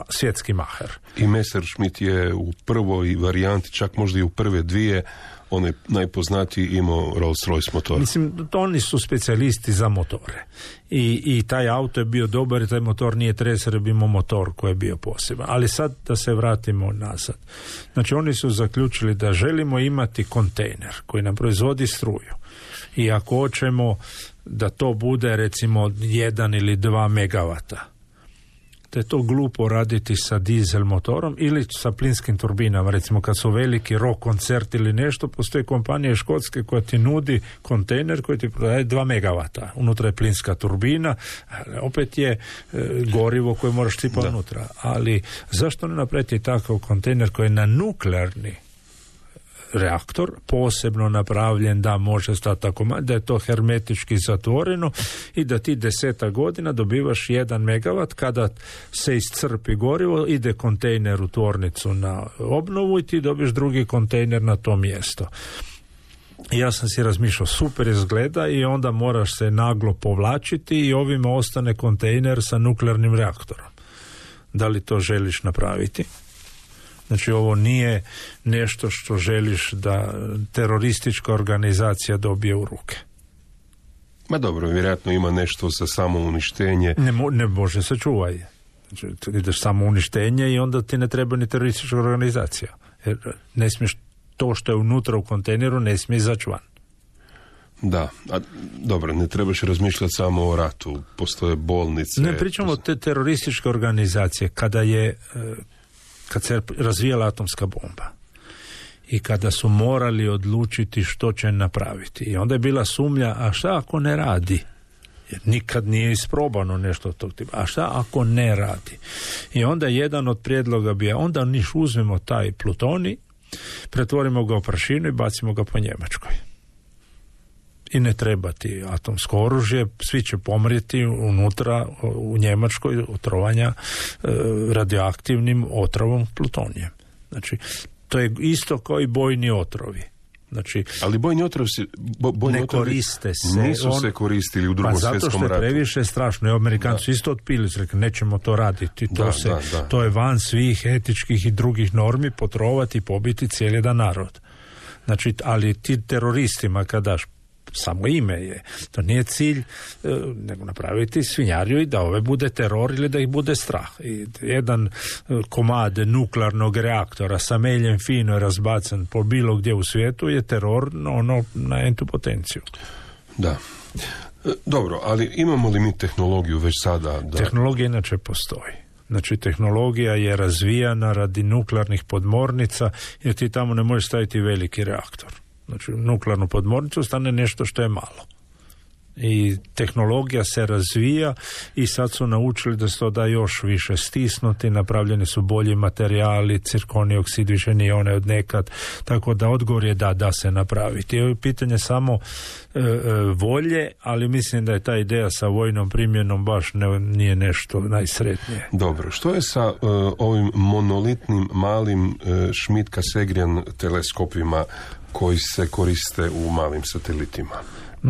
S6: svjetski maher.
S5: I Messerschmitt je u prvoj varijanti, čak možda i u prve dvije, on je najpoznatiji imao Rolls-Royce motor.
S6: Mislim, oni su specijalisti za motore. I taj auto je bio dobar i taj motor nije treser, bi imao motor koji je bio poseban. Ali sad da se vratimo nazad. Znači, oni su zaključili da želimo imati kontejner koji nam proizvodi struju. I ako hoćemo da to bude recimo 1 ili 2 megavata, da je to glupo raditi sa dizel motorom ili sa plinskim turbinama. Recimo kad su veliki rock koncert ili nešto, postoje kompanije škotske koja ti nudi kontejner koji ti prodaje 2 megavata. Unutra je plinska turbina, opet je gorivo koje moraš sipati unutra. Ali zašto ne napraviti takav kontejner koji je na nuklearni reaktor, posebno napravljen da može stati tako, da je to hermetički zatvoreno i da ti 10 godina dobivaš 1 megavat, kada se iscrpi gorivo, ide kontejner u tvornicu na obnovu i ti dobiješ drugi kontejner na to mjesto. Ja sam si razmišljao, super izgleda, i onda moraš se naglo povlačiti i ovima ostane kontejner sa nuklearnim reaktorom. Da li to želiš napraviti? Znači, ovo nije nešto što želiš da teroristička organizacija dobije u ruke.
S5: Ma dobro, vjerojatno ima nešto za samouništenje.
S6: Ne može se čuvati. Znači, ideš samouništenje i onda ti ne treba ni teroristička organizacija. Jer ne smiješ to što je unutra u kontejneru, ne smije izaći van.
S5: Da, a dobro, ne trebaš razmišljati samo o ratu. Postoje bolnice.
S6: Ne pričamo o te terorističke organizacije kad se razvijala atomska bomba i kada su morali odlučiti što će napraviti. I onda je bila sumnja, a šta ako ne radi? Jer nikad nije isprobano nešto od tog tipa. A šta ako ne radi? I onda jedan od prijedloga bio, onda uzmemo taj plutonij, pretvorimo ga u prašinu i bacimo ga po Njemačkoj. I ne treba ti atomsko oružje, svi će pomrijeti unutra u Njemačkoj otrovanja radioaktivnim otrovom plutonijem. Znači, to je isto kao i bojni otrovi. Znači,
S5: ali bojni otrovi
S6: ne koriste se.
S5: Nisu se koristili u Drugom svjetskom ratu.
S6: Zato što je previše strašno. I Amerikanci su isto otpili, su rekli, nećemo to raditi. To je van svih etičkih i drugih normi, potrovati i pobiti cijeli jedan narod. Znači, ali ti teroristima kad daš, samo ime je, to nije cilj nego napraviti svinjariju i da ove bude teror ili da ih bude strah. I jedan komad nuklearnog reaktora sa meljem fino razbacan po bilo gdje u svijetu je teror na entu potenciju.
S5: Da. Dobro, ali imamo li mi tehnologiju već sada?
S6: Tehnologija inače postoji. Znači, tehnologija je razvijana radi nuklearnih podmornica, jer ti tamo ne možeš staviti veliki reaktor. Znači, nuklearnu podmornicu stane nešto što je malo. I tehnologija se razvija i sad su naučili da se to da još više stisnuti, napravljeni su bolji materijali, cirkoni oksid više nije onaj od nekad, tako da odgovor je da se napraviti. Ovo je pitanje samo volje, ali mislim da je ta ideja sa vojnom primjenom baš nije nešto najsretnije.
S5: Dobro, što je sa ovim monolitnim malim Schmidt-Cassegrain teleskopima koji se koriste u malim satelitima?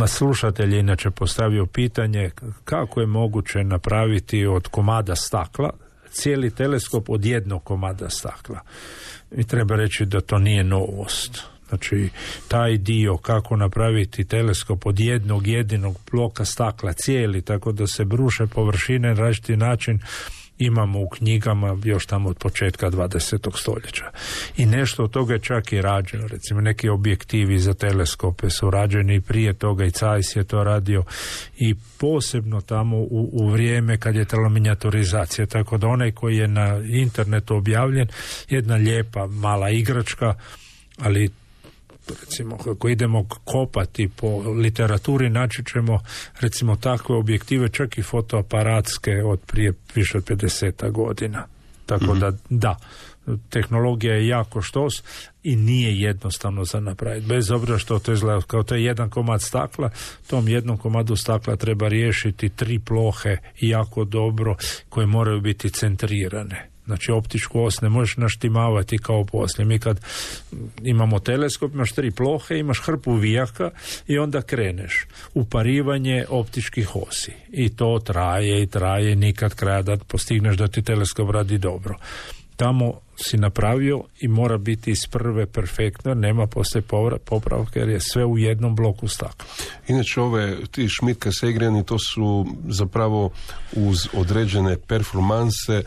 S6: Slušatelj je inače postavio pitanje kako je moguće napraviti od komada stakla cijeli teleskop od jednog komada stakla. I treba reći da to nije novost. Znači, taj dio kako napraviti teleskop od jednog jedinog bloka stakla cijeli, tako da se bruše površine na različiti način, imamo u knjigama još tamo od početka 20. stoljeća. I nešto od toga je čak i rađeno. Recimo, neki objektivi za teleskope su rađeni prije toga, i Zeiss je to radio, i posebno tamo u vrijeme kad je trebala minijaturizacija. Tako da onaj koji je na internetu objavljen, jedna lijepa mala igračka, ali recimo kako idemo kopati po literaturi, naći ćemo recimo takve objektive, čak i fotoaparatske od prije više od 50 godina. Tako da, tehnologija je jako štos i nije jednostavno za napraviti. Bez obzira što to izgleda kao to je jedan komad stakla, tom jednom komadu stakla treba riješiti 3 plohe jako dobro koje moraju biti centrirane. Znači, optičku os ne možeš naštimavati kao poslije. Mi kad imamo teleskop, imaš 3 plohe, imaš hrpu vijaka i onda kreneš. Uparivanje optičkih osi. I to traje, nikad kraja da postigneš da ti teleskop radi dobro. Tamo si napravio i mora biti iz prve perfektno, nema poslije popravka jer je sve u jednom bloku stakla.
S5: Inače, ti Schmidt-Cassegraini, to su zapravo uz određene performanse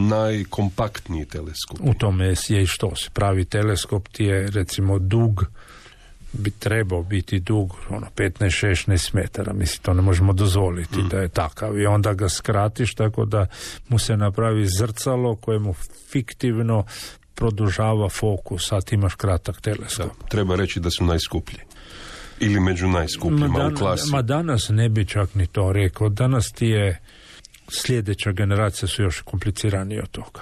S5: najkompaktniji teleskop.
S6: U tome je i što se pravi teleskop ti je recimo dug, bi trebao biti dug 15-16 metara, mislim to ne možemo dozvoliti da je takav, i onda ga skratiš tako da mu se napravi zrcalo koje mu fiktivno produžava fokus, a ti imaš kratak teleskop.
S5: Da, treba reći da su najskuplji ili među najskupljima u klasi. Danas
S6: ne bi čak ni to rekao, danas ti je sljedeća generacija su još kompliciranije od toga.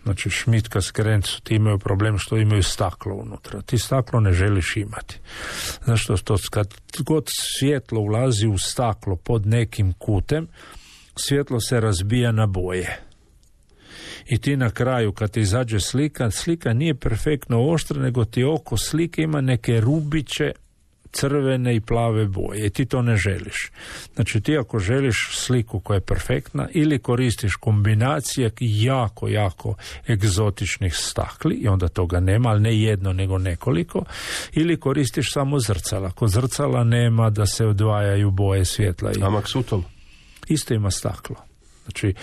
S6: Znači, Schmidt-Cassegrain ti imaju problem što imaju staklo unutra. Ti staklo ne želiš imati. Zašto? Kad god svjetlo ulazi u staklo pod nekim kutem, svjetlo se razbija na boje. I ti na kraju, kad ti izađe slika nije perfektno oštra, nego ti oko slike ima neke rubiće crvene i plave boje i ti to ne želiš. Znači, ti ako želiš sliku koja je perfektna, ili koristiš kombinacije jako egzotičnih stakli i onda toga nema, ali ne jedno nego nekoliko, ili koristiš samo zrcala. Kod zrcala nema da se odvajaju boje svjetla.
S5: A Maksutov?
S6: Isto ima staklo. Znači,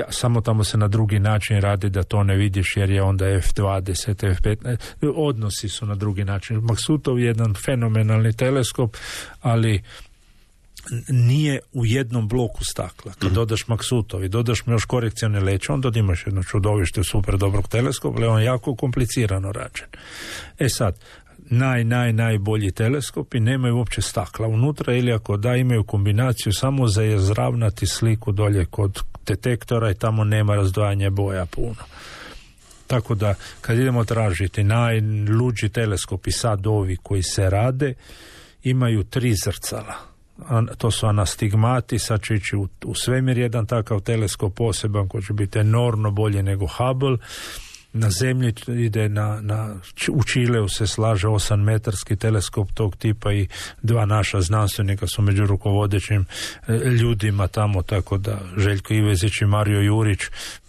S6: samo tamo se na drugi način radi da to ne vidiš jer je onda F20, F15, odnosi su na drugi način. Maksutov je jedan fenomenalni teleskop, ali nije u jednom bloku stakla. Kad dodaš Maksutov i dodaš mu još korekcione leće, onda imaš jedno čudovište super dobrog teleskopa, ali on je jako komplicirano rađen. Sad, najbolji teleskopi nemaju uopće stakla unutra, ili ako da, imaju kombinaciju samo za izravnati sliku dolje kod detektora i tamo nema razdvajanja boja puno. Tako da kad idemo tražiti najluđi teleskopi, sad ovi koji se rade, imaju 3 zrcala. To su anastigmati, sad će ići u svemir jedan takav teleskop poseban koji će biti enormno bolje nego Hubble. Na zemlji ide u Čileu se slaže 8-metarski teleskop tog tipa i 2 naša znanstvenika su među rukovodećim ljudima tamo, tako da Željko Ivezić i Mario Jurić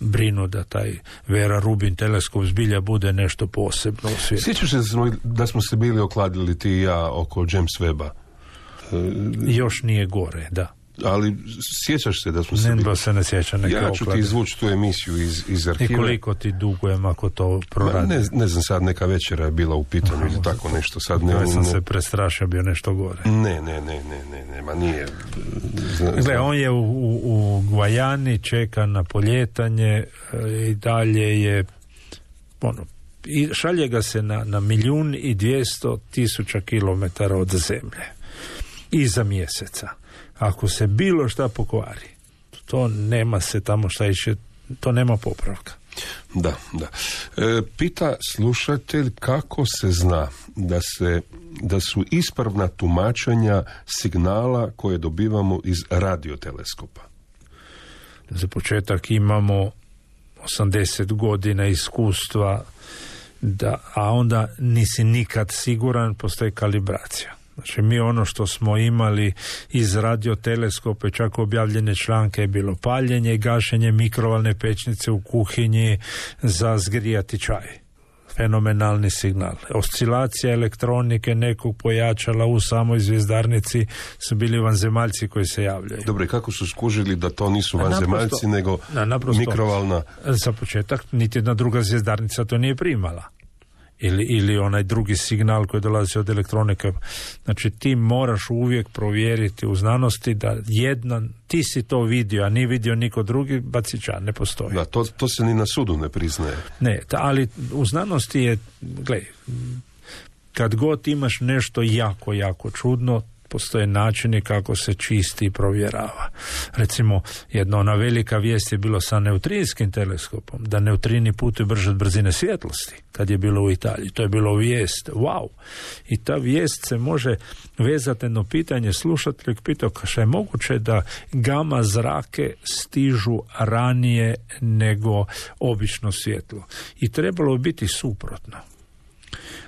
S6: brinu da taj Vera Rubin teleskop zbilja bude nešto posebno u svijetu.
S5: Sjećaš se da smo se bili okladili ti i ja oko James Webba?
S6: Još nije gore, da.
S5: Ali sjećaš se da smo se bili?
S6: Se ne sjećam neke
S5: Ja ću ti izvući tu emisiju iz arhiva.
S6: I koliko ti dugujem ako to proradi?
S5: Ne znam, sad neka večera je bila u pitanju ili tako nešto. Sad
S6: ja sam se prestrašio, bio nešto gore.
S5: Ne, ma nije.
S6: Gle, on je u Gvajani, čeka na poljetanje i dalje je i šalje ga se na 1.200.000 kilometara od zemlje. iza mjeseca. Ako se bilo šta pokvari, to nema se tamo šta iše, to nema popravka.
S5: Da. Pita slušatelj kako se zna da su ispravna tumačenja signala koje dobivamo iz radioteleskopa.
S6: Za početak imamo 80 godina iskustva, a onda nisi nikad siguran, postoji kalibracija. Znači mi ono što smo imali iz radioteleskope, čak objavljene članke, je bilo paljenje i gašenje mikrovalne pećnice u kuhinji za zgrijati čaj. Fenomenalni signal. Oscilacija elektronike nekog pojačala u samoj zvjezdarnici su bili vanzemaljci koji se javljaju.
S5: Dobro, i kako su skužili da to nisu vanzemaljci, nego mikrovalna?
S6: Za početak, niti jedna druga zvjezdarnica to nije primala. Ili onaj drugi signal koji dolazi od elektronike. Znači ti moraš uvijek provjeriti u znanosti da ti si to vidio, a nije vidio niko drugi, bacića, ne postoji.
S5: Da, to se ni na sudu ne priznaje.
S6: Ne, ali u znanosti je, gledaj, kad god imaš nešto jako, jako čudno, postoje načini kako se čisti i provjerava. Recimo, jedna ona velika vijest je bilo sa neutrinskim teleskopom, da neutrini putuju brže od brzine svjetlosti, kad je bilo u Italiji. To je bilo vijest, wow! I ta vijest se može vezati jedno pitanje, slušatelj pitao što je moguće da gama zrake stižu ranije nego obično svjetlo. I trebalo biti suprotno.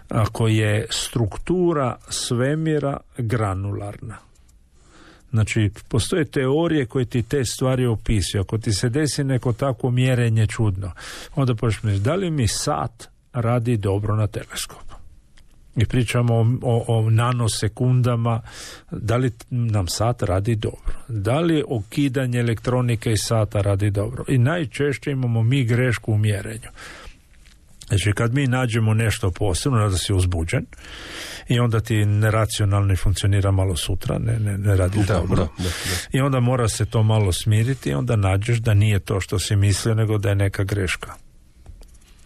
S6: Ako je struktura svemira granularna. Znači, postoje teorije koje ti te stvari opisuju. Ako ti se desi neko takvo mjerenje čudno, onda počneš, da li mi sat radi dobro na teleskopu? I pričamo o nanosekundama, da li nam sat radi dobro? Da li okidanje elektronike iz sata radi dobro? I najčešće imamo mi grešku u mjerenju. Znači, kad mi nađemo nešto posebno, da si uzbuđen i onda ti neracionalno funkcionira malo sutra, ne radi dobro. Da. I onda mora se to malo smiriti i onda nađeš da nije to što si mislio, nego da je neka greška.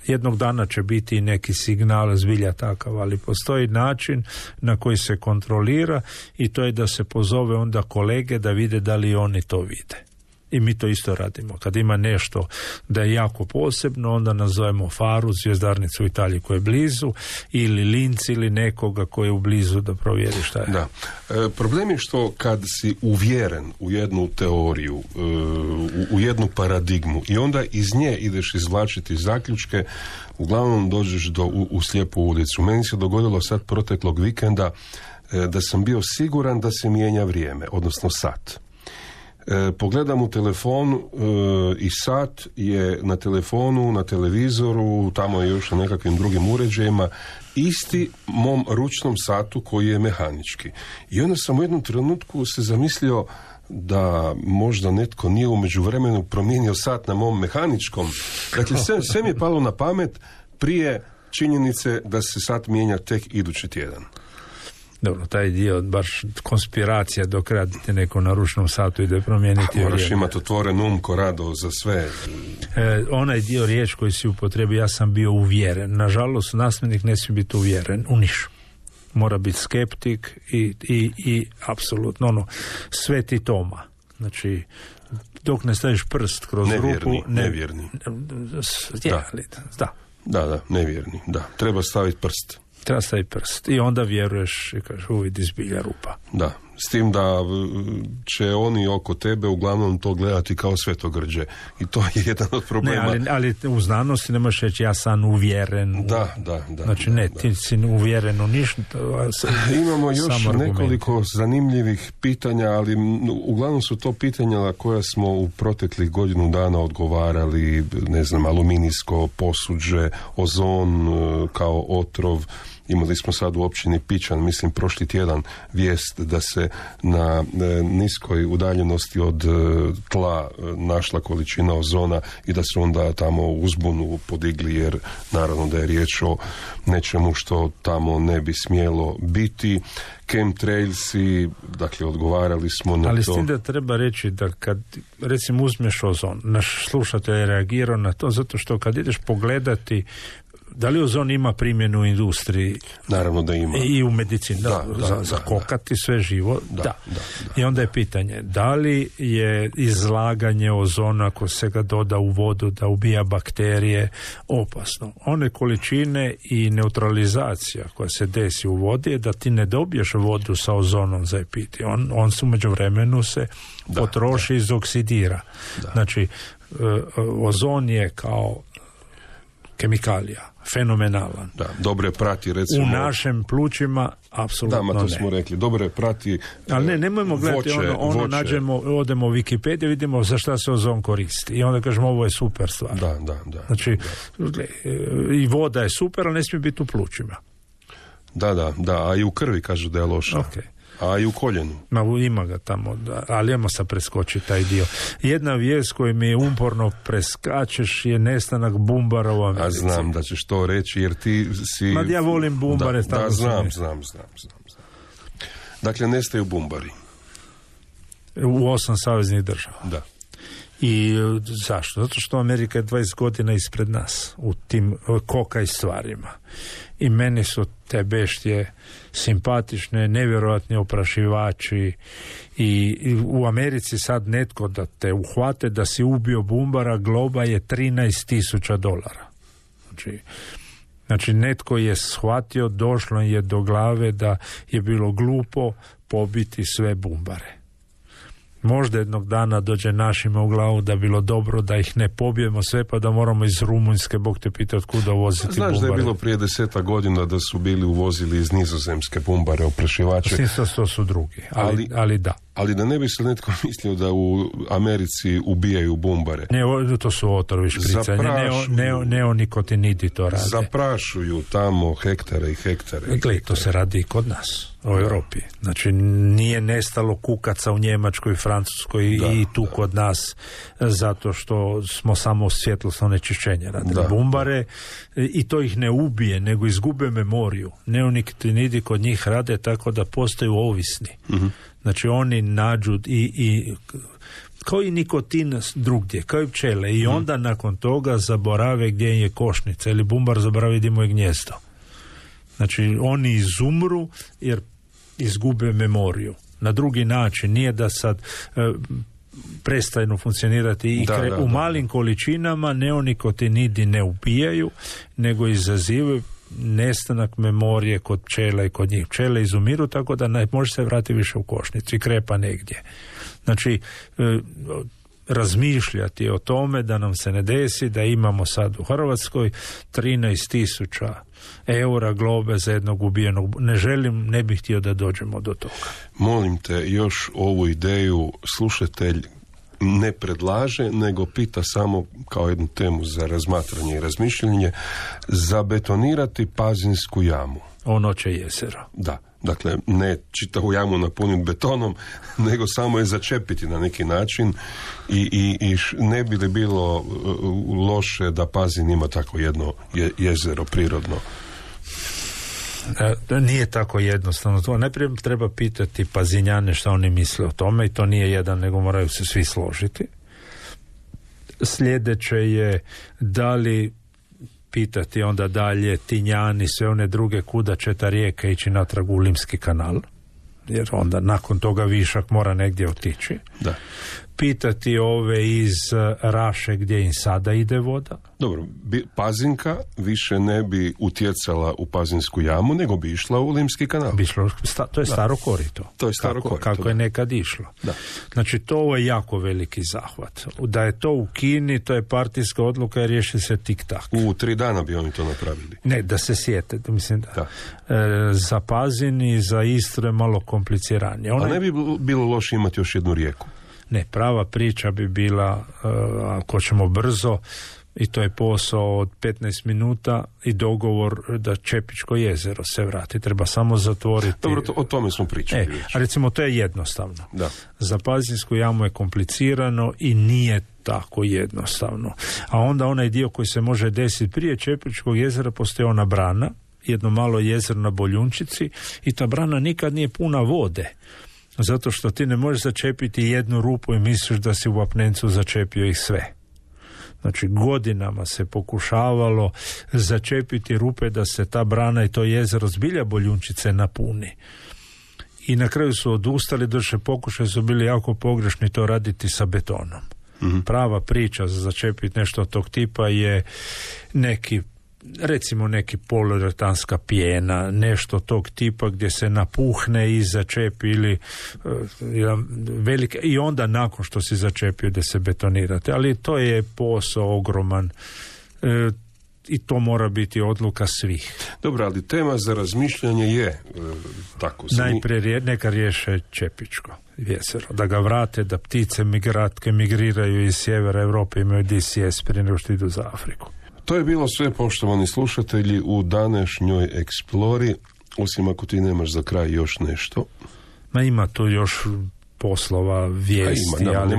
S6: Jednog dana će biti i neki signal zbilja takav, ali postoji način na koji se kontrolira i to je da se pozove onda kolege da vide da li oni to vide. I mi to isto radimo. Kad ima nešto da je jako posebno, onda nazovemo Faru, zvjezdarnicu u Italiji koja je blizu, ili Linz ili nekoga koji je u blizu da provjeri šta je.
S5: Da. Problem je što kad si uvjeren u jednu teoriju, u jednu paradigmu i onda iz nje ideš izvlačiti zaključke, uglavnom dođeš u slijepu ulicu. Meni se dogodilo sad proteklog vikenda da sam bio siguran da se mijenja vrijeme, odnosno sat. Pogledam u telefon i sat je na telefonu, na televizoru, tamo je još na nekakvim drugim uređajima, isti mom ručnom satu koji je mehanički. I onda sam u jednom trenutku se zamislio da možda netko nije u međuvremenu promijenio sat na mom mehaničkom. Dakle, sve mi je palo na pamet prije činjenice da se sat mijenja tek idući tjedan.
S6: Dobro, taj dio baš konspiracija dok radite neko na ručnom satu ide promijeniti.
S5: Moraš imati otvoren um ko rado za sve.
S6: Onaj dio riječ koji si upotrebio, ja sam bio uvjeren. Nažalost, znanstvenik ne smije biti uvjeren u niš. Mora biti skeptik i apsolutno sveti Toma. Znači, dok ne staviš prst kroz rupu...
S5: Nevjerni. Da, nevjerni. Da, treba staviti prst.
S6: Treba staviti prst i onda vjeruješ i kažeš uvidi zbilja rupa.
S5: Da, s tim da će oni oko tebe uglavnom to gledati kao svetogrđe i to je jedan od problema.
S6: Ne, ali u znanosti ne možeš reći ja sam uvjeren.
S5: Da.
S6: Znači ti si uvjeren u ništa.
S5: Imamo još nekoliko zanimljivih pitanja, ali uglavnom su to pitanja na koja smo u proteklih godinu dana odgovarali, ne znam, aluminijsko posuđe, ozon kao otrov. Imali smo sad u općini Pičan, mislim prošli tjedan, vijest da se na niskoj udaljenosti od tla našla količina ozona i da su onda tamo uzbunu podigli, jer naravno da je riječ o nečemu što tamo ne bi smjelo biti. Chemtrailsi, dakle odgovarali smo na to.
S6: Ali s tim da treba reći da kad recimo uzmeš ozon, naš slušatelj je reagirao na to zato što kad ideš pogledati Da li ozon ima primjenu u industriji?
S5: Naravno da ima.
S6: I u medicini, za kokati sve živo, da. I onda je pitanje, da li je izlaganje ozona, ako se ga doda u vodu da ubija bakterije, opasno? One količine i neutralizacija koja se desi u vodi je da ti ne dobiješ vodu sa ozonom za piti. On su međuvremenu se potroši i izoksidira. Znači, ozon je kao kemikalija fenomenalan.
S5: Da, dobro je prati, recimo...
S6: U našem plućima, apsolutno ne.
S5: To smo rekli, dobro je prati...
S6: Ali nemojmo gledati voće. Nađemo, odemo u Wikipediju, vidimo za šta se ozon koristi. I onda kažemo, ovo je super stvar.
S5: Da.
S6: Znači, i voda je super, ali ne smije biti u plućima.
S5: Da, a i u krvi kažu da je loša.
S6: Okay.
S5: A i u koljenu.
S6: Ima ga tamo, ali ajmo sad preskočiti taj dio. Jedna vijest koju mi umporno preskačeš je nestanak bumbara u Americi.
S5: A znam da ćeš to reći jer ti si...
S6: Ja volim bumbare.
S5: Da, znam. Dakle, nestaju bumbari.
S6: U 8 saveznih država.
S5: Da.
S6: I zašto? Zato što Amerika je 20 godina ispred nas u tim kokaj stvarima. I meni su te beštije simpatične, nevjerojatni oprašivači i u Americi sad netko da te uhvate da si ubio bumbara, globa je $13,000. Znači netko je shvatio, došlo je do glave da je bilo glupo pobiti sve bumbare. Možda jednog dana dođe našima u glavu da bilo dobro da ih ne pobijemo sve pa da moramo iz Rumunjske, Bog te pita otkuda uvoziti bumbare.
S5: Znaš da je bilo prije 10 godina da su bili uvozili iz Nizozemske bumbare, oprašivače.
S6: To su drugi, ali da.
S5: Ali da ne bi se netko mislio da u Americi ubijaju bumbare.
S6: Ne, to su otrovi špricanje, neonikotinidi to rade.
S5: Zaprašuju tamo hektare i hektare.
S6: Gle, to se radi i kod nas, u Europi. Znači, nije nestalo kukaca u Njemačkoj, Francuskoj i tu kod nas, zato što smo samo svjetlosno onečišćenje radili. Bumbare, i to ih ne ubije, nego izgube memoriju. Neonikotinidi kod njih rade tako da postaju ovisni. Mm-hmm. Znači oni nađu i kao i nikotin drugdje, kao i pčele, i onda nakon toga zaborave gdje je košnica ili bumbar zaboravi gdje mu je gnjezdo. Znači oni izumru jer izgube memoriju. Na drugi način, nije da sad prestanu funkcionirati i u malim količinama neonikotinidi ne ubijaju, nego izazivaju nestanak memorije kod pčela i kod njih. Pčele izumiru tako da ne može se vratiti više u košnicu i krepa negdje. Znači, razmišljati o tome da nam se ne desi da imamo sad u Hrvatskoj 13,000 eura globe za jednog ubijenog. Ne bih htio da dođemo do toga.
S5: Molim te, još ovu ideju slušatelj ne predlaže, nego pita samo kao jednu temu za razmatranje i razmišljanje, zabetonirati Pazinsku jamu.
S6: Ono će jezero.
S5: Da, dakle, ne čitavu jamu napuniti betonom, nego samo je začepiti na neki način i ne bi li bilo loše da Pazin ima tako jedno jezero prirodno?
S6: Nije tako jednostavno. To najprije treba pitati Pazinjane šta oni misle o tome i to nije jedan, nego moraju se svi složiti. Sljedeće je da li pitati onda dalje Tinjani, sve one druge kuda će ta rijeka ići natrag u Limski kanal, jer onda nakon toga višak mora negdje otići.
S5: Da.
S6: Pitati ove iz Raše gdje im sada ide voda.
S5: Dobro, Pazinka više ne bi utjecala u Pazinsku jamu, nego bi išla u Limski kanal.
S6: To je staro korito.
S5: To je staro korito.
S6: Kako je nekad išlo.
S5: Da.
S6: Znači, to je jako veliki zahvat. Da je to u Kini, to je partijska odluka i riješi se tik-tak.
S5: U 3 dana bi oni to napravili.
S6: Ne, da se sjete. Mislim, za Pazin i za Istru je malo kompliciranije.
S5: A ne bi bilo loše imati još jednu rijeku?
S6: Ne, prava priča bi bila, ako ćemo brzo, i to je posao od 15 minuta i dogovor da Čepičko jezero se vrati. Treba samo zatvoriti.
S5: Dobro, o tome smo pričali.
S6: A recimo, to je jednostavno.
S5: Da.
S6: Za Pazinsku jamu je komplicirano i nije tako jednostavno. A onda onaj dio koji se može desiti prije Čepičkog jezera, postoji ona brana, jedno malo jezero na Boljunčici, i ta brana nikad nije puna vode. Zato što ti ne možeš začepiti jednu rupu i misliš da si u apnencu začepio ih sve. Znači godinama se pokušavalo začepiti rupe da se ta brana i to jezero zbilja Boljunčice napuni. I na kraju su odustali, došli pokušaj su bili jako pogrešni to raditi sa betonom. Prava priča za začepiti nešto od tog tipa je neki poliuretanska pjena, nešto tog tipa gdje se napuhne i začepi ili velike, i onda nakon što si začepio da se betonirate. Ali to je posao ogroman i to mora biti odluka svih.
S5: Dobro, ali tema za razmišljanje je tako.
S6: Najprije neka riješe Čepičko jezero, da ga vrate, da ptice migriraju iz sjevera Europe, imaju DCS prije nego što idu za Afriku.
S5: To je bilo sve, poštovani slušatelji, u današnjoj Eksplori, osim ako ti nemaš za kraj još nešto.
S6: Ma ima tu još poslova, vijesti, ali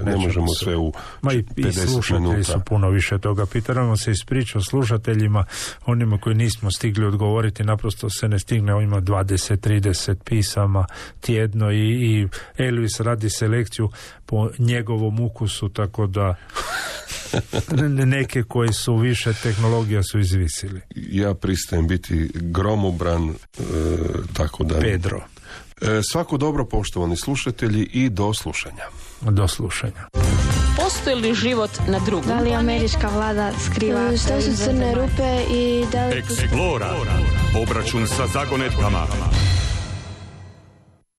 S5: ne možemo sve u 50
S6: i slušatelji
S5: minuta.
S6: Su puno više toga. Pitamo se ispričao slušateljima, onima koji nismo stigli odgovoriti, naprosto se ne stigne, on ima 20-30 pisama tjedno i Elvis radi selekciju po njegovom ukusu, tako da neke koji su više tehnologija su izvisili.
S5: Ja pristajem biti gromobran, tako da...
S6: Pedro.
S5: Svako dobro, poštovani slušatelji, i do slušanja.
S6: Do slušanja.
S1: Postoji li život na drugom?
S2: Da li američka vlada skriva?
S3: Što su crne rupe i da li...
S4: Eksplora. Obračun sa zagonetkama.